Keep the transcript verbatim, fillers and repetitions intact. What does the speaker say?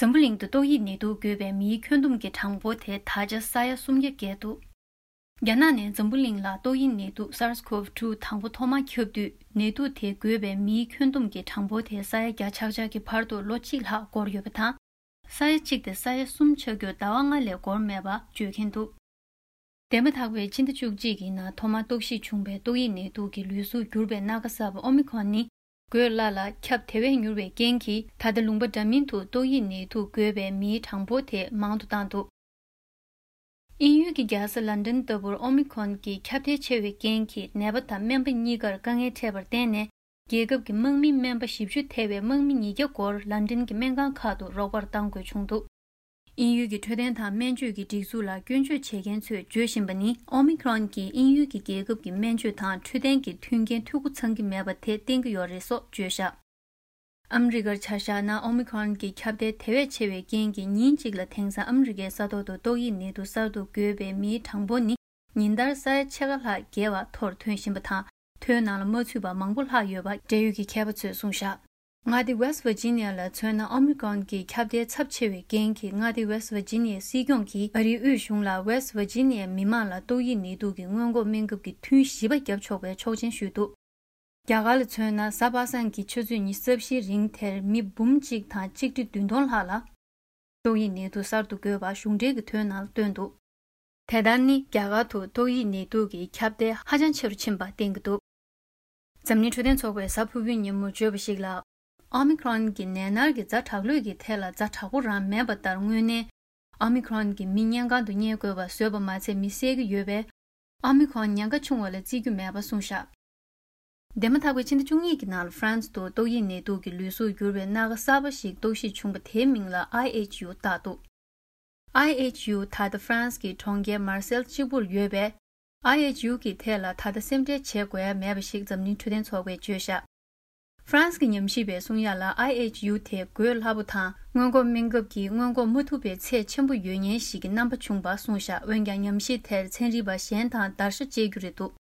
འཛམ་བུ་གླིང་དུ་ཏོག་དབྱིབས་ནད་དུག་འགོས་པའི་མིའི་ཁྱོན་བསྡོམས་ཀྱི་གྲངས་འབོར་དེ་ད་ཆ་ས་ཡ་སུམ་བརྒྱ་བརྒལ་འདུག། རྒྱ་ནག་ནས་འཛམ་བུ་གླིང་ལ་ཏོག་དབྱིབས་ནད་དུག་SARS-CoV two དང་པོ་ཐོག་མར་ཁྱབ་དུས། ནད་དུག་དེ་འགོས་པའི་མིའི་ཁྱོན་བསྡོམས་ཀྱི་གྲངས་འབོར་དེ་ས་ཡ་བརྒྱ་ཆག་ཆག་གི་བར་དུ་ལོ་གཅིག་ལྷག་འགོར་ཡོད་པ་དང་། ས་ཡ་གཅིག་དེ་ས་ཡ་གསུམ་ཆགས་རྒྱུར་ཟླ་བ་ལྔ་ལས་འགོར་མེད་པ་བརྗོད་མཁན་འདུག། འདས་མ་ཐག་པའི་ཕྱི་ཟླ་བཅུ་གཅིག་གི་ནང་ཐོག་མར་རྟོག་ཞིབ་བྱུང་བའི་ཏོག་དབྱིབས་ནད་དུག་གི་ལུས་གཟུགས་འགྱུར་བའི་སྣ་ཁ་གསར་པ་ཨོ་མི་ཁོན་ནི། འགོས་སླ་ལ་ཁྱབ་དེ་བས་མྱུར་བའི་རྐྱེན་གྱིས། ད་ལྟ་ལུང་པ་འདྲ་མིན་དུ་ཏོག་དབྱིབས་ནད་དུག་འགོས་པའི་མིའི་གྲངས་འབོར་དེ་མང་དུ་བཏང་འདུག། དབྱིན་ཡུལ་གྱི་རྒྱལ་ས་ལན་ཌན་ལྟ་བུར་ཨོ་མི་ཁོན་གྱི་ཁྱབ་གདལ་ཆེ་བའི་རྐྱེན་གྱིས། ནད་པ་དང་སྨན་པ་གཉིས་ཀར་དཀའ་ངལ་འཕྲད་པར་བརྟེན་ནས། རྒྱལ་ཁབ་ཀྱི་དམག་མི་སྨན་པ་བཞི་བཅུ་ཐེ་བའི་དམག་མི་ཉིས་བརྒྱ་སྐོར་ལན་ཌན་གྱི་སྨན་ཁང་ཁག་ཏུ་རོགས་པར་གཏང་དགོས་བྱུང་འདུག། དབྱིན་ཡུལ་གྱི་འཕྲོད་བསྟེན་དང་སྨན་བཅོས་ཀྱི་སྒྲིག་འཛུགས་ལ་སྐྱོན་བརྗོད་བྱེད་མཁན་ཚོས་བརྗོད་བཞིན་པ་ནི། ཨོ་མི་ཁོན་གྱིས་དབྱིན་ཡུལ་གྱི་རྒྱལ་ཁབ་ཀྱི་སྨན་བཅོས་དང་འཕྲོད་བསྟེན་གྱི་མཐུན་རྐྱེན་འཐུས་སྒོ་ཚང་གི་མེད་པ་དེ་བསྟན་གྱི་ཡོད་རེད་སོགས་བརྗོད་བཞག། ཨ་མི་རི་ཀར་ཆ་བཞག་ན། ཨོ་མི་ཁོན་གྱི་ཁྱབ་གདལ་དེ་བས་ཆེ་བའི་རྐྱེན་གྱིས། ཉིན་གཅིག་ལ་དེང་སང་ཨ་མི་རི་ཀའི་ས་ཐོག་ཏུ་ཏོག་དབྱིབས་ནད་དུག་གསར་དུ་འགོས་པའི་མིའི་གྲངས་འབོར་ནི། ཉིན་ལྟར་ས་ཡ་ཕྱེད་ཀ་ལྷག་བརྒལ་བ་མཐོར་ཐོན་བཞིན་པ་དང་། ཐོའི་ནང་ལ་མ་ཚུད་པ་མང་པོ་ལྷག་ཡོད་པ་འབྲེལ་ཡོད་ཀྱི་མཁས་པ་ཚོས་གསུངས་བཞག། མངའ་སྡེ་West Virginia ལ་མཚོན་ན། ཨོ་མི་ཁོན་གྱི་ཁྱབ་གདལ་ཚབས་ཆེ་བའི་རྐྱེན་གྱིས། མངའ་སྡེ་West Virginia སྲིད་སྐྱོང་གིས་ཨ་རིའི་དབུས་གཞུང་ལ་West Virginia མི་མང་ལ་ཏོག་དབྱིབས་ནད་དུག་གི་སྔོན་འགོག་སྨན་ཁབ་ཀྱི་ཐུན་བཞི་པ་བརྒྱབ་ཆོག་པའི་ཆོག་མཆན་ཞུས་འདུག། རྒྱ་གར་ལ་མཚོན་ན། གཟའ་པ་སངས་ཀྱི་ཆུ་ཚོད་ཉི་ཤུ་རྩ་བཞིའི་རིང་དེར་མི་འབུམ་གཅིག་དང་ཆིག་ཁྲི་བདུན་སྟོང་ལྷག་ལ། ཏོག་དབྱིབས་ནད་དུག་གསར་དུ་འགོས་པ་གཞུང་འབྲེལ་གྱི་ཐོའི་ནང་ལ་བཏོན་འདུག། དེ་ལྟར་ནི། རྒྱ་གར་དུ་ཏོག་དབྱིབས་ནད་དུག་གི་ཁྱབ་གདལ་ཧ་ཅང་ཆེ་རུ་ཕྱིན་པ་བསྟན་གྱི་འདུག། འཛམ་གླིང་འཕྲོད་བསྟེན་ཚོགས་པས་གཟའ་ཕུར་བུའི་ཉིན་མོར་བརྗོད་པ་ཞིག་ལ། ཨོ་མི་ཁོན་གྱི་ནད་མནར་གྱི་ཛ་དྲག་ལོས་ཀྱི་ཐད་ལ་ཛ་དྲག་པོ་རང་མེད་པ་ལྟར། དངོས་གནས་ཨོ་མི་ཁོན་གྱིས་མི་སྨན་ཁང་དུ་བསྙལ་དགོས་པ་བཟོས་པ་མ་ཚད། མི་བསད་ཀྱི་ཡོད་པས། ཨོ་མི་ཁོན་ཉེན་ཁ་ཆུང་བ་ལ་བརྩི་རྒྱུ་མེད་པ་གསུངས་བཞག། འདས་མ་ཐག་པའི་ཕྱི་ཟླ་བཅུ་གཉིས་ཀྱི་ནང་ལ་ཧྥ་རན་སི་དུ་ཏོག་དབྱིབས་ནད་དུག་གི་ལུས་གཟུགས་འགྱུར་བའི་སྣ་ཁ་གསར་པ་ཞིག་རྟོག་ཞིབ་བྱུང་བ་དེའི་མིང་ལ་ཨའི་ཨེཆ་ཡུ་བཏགས་འདུག། ཨའི་ཨེཆ་ཡུ་ད་ལྟ་ཧྥ་རན་སི་གི་གྲོང་ཁྱེར་མར་སེལ་གཅིག་པུར་ཡོད་པས། ཨའི་ཨེཆ་ཡུ་གི་ཐད་ལ་ད་ལྟ་སེམས་ཁྲལ་བྱེད་དགོས་ཡ་མེད་པ་ཞིག་འཛམ་གླིང་འཕྲོད་བསྟེན་ཚོགས་པས་བརྗོད་བཞག། ཧྥ་རན་སི་གི་ཉམས་ཞིབ་པས་གསུང་ཡ་ལ། ཨའི་ཨེཆ་ཡུ་དེ་འགོས་སླ་པོ་དང་། སྔོན་འགོག་སྨན་ཁབ་ཀྱིས་སྔོན་འགོག་མ་ཐུབ་པའི་ཚད་ཆེན་པོ་ཡོད་ཉེན་ཞིག་གི་རྣམ་པ་བྱུང་བ་གསུངས་བཞག། འོན་ཀྱང་ཉམས་ཞིབ་དེར་ཚན་རིག་པ་གཞན་དང་བརྡར་ཤ་བཅད་རྒྱུ་རེད་འདུག།